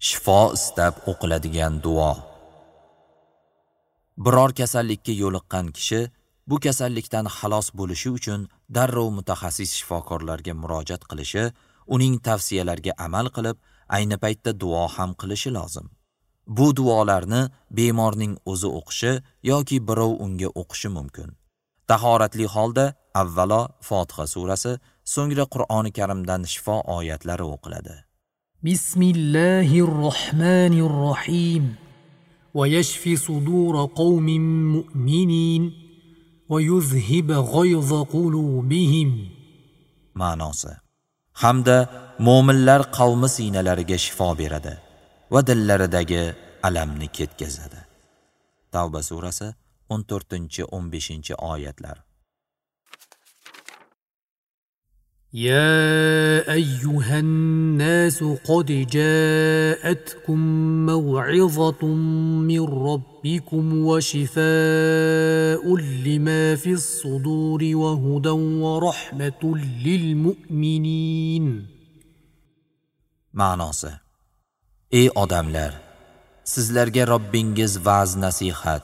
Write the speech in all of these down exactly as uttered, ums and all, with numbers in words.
Shifo istab o'qiladigan duo. Biror kasallikka yo'liqqan kishi bu kasallikdan xalos bo'lishi uchun darrov mutaxassis shifokorlarga murojaat qilishi, uning tavsiyalariga amal qilib, ayni paytda duo ham qilishi lozim. Bu duolarni bemorning o'zi o'qishi yoki birov unga o'qishi mumkin. Tahoratli holda avvalo Fotiha surasi, so'ngra Qur'oni Karimdan shifo oyatlari o'qiladi. Bismillahirrohmanirrohim. Va yashfi sudur qawmin mu'minin va yuzhib ghayza qulubihim. Ma'nosi: hamda mo'minlar qavmi siynalariga shifo beradi va dillaridagi alamni ketkazadi. Tavba surasi o'n to'rtinchi o'n beshinchi oyatlar. يا أيها الناس قد جاءتكم موعظة من ربكم وشفاء لما في الصدور وهدى ورحمة للمؤمنين. Ma'nosi: Ey odamlar, sizlarga Robbingiz va'z nasihat,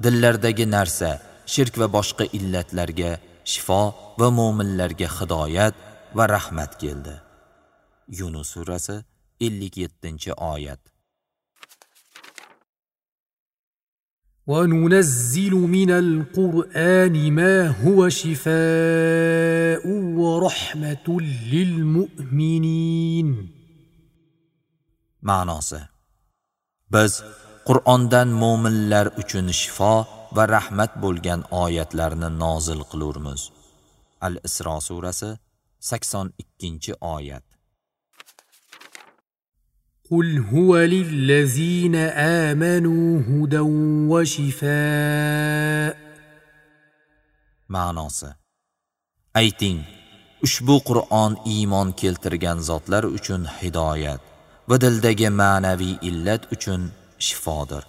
dillardagi narsa, shirk va boshqa illatlarga shifo va mo'minlarga hidoyat va rahmat keldi. Yunus surasi ellik yettinchi oyat. وننزل من القرآن ما هو شفاء ورحمة للمؤمنين. Ma'nosi: Biz Qur'ondan mo'minlar uchun shifo va rahmat bo'lgan oyatlarni nozil qilurmiz. Al-Isro surasi sakson ikkinchi oyat. Qul huwa lillazina amanu hudan va shifaa. Ma'nosi: Ayting, ushbu Qur'on iymon keltirgan zotlar uchun hidoyat va dildagi ma'naviy illat uchun shifodir.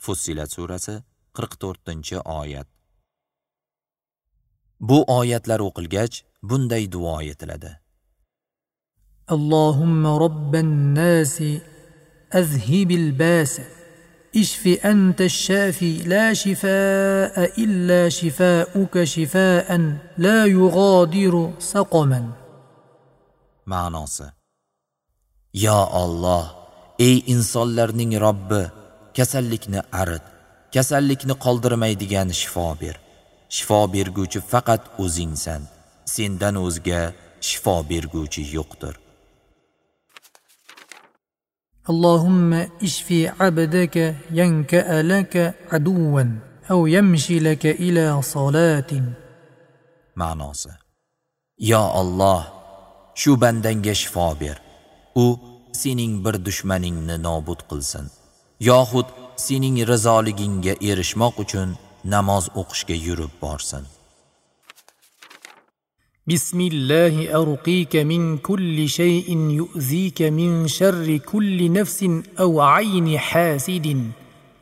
Fussilat surasi qirq to'rtinchi oyat. Bu oyatlar o'qilgach, bunday duo etiladi: Allohumma robban nasi azhibil bas ishfi anta ash-shafi la shifaa illa shifaa'uka shifaa'an la yughadiru saqaman. Ma'nosi: Yo Alloh, ey insonlarning Robbi, kasallikni arit, kasallikni qoldirmaydigan shifo ber. Shifo berguvchi faqat o'zingsan. Sendan o'zga shifo berguvchi yo'qdir. Allohumma ishfi abdaka yanka'a laka aduwan aw yamshi laka ila salatin. Ma'nosi: Yo Alloh, shu bandangga shifo ber. U sening bir dushmaningni nobud qilsin, yoxud sening rizoligingga erishmoq uchun namoz o'qishga yurib borsin. Bismillahi arqika min kulli shay'in yu'zika min sharri kulli nafsin aw 'ayni hasidin.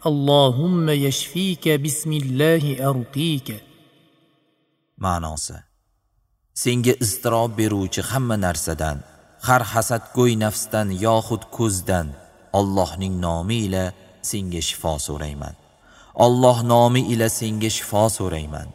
Allohumma yashfika bismillahi arqika. Ma'nosi: Senga iztirob beruvchi hamma narsadan, har hasadgo'y nafsdan yoxud ko'zdan Allohning nomi ila senga shifo so'rayman. Alloh nomi ila senga shifo so'rayman.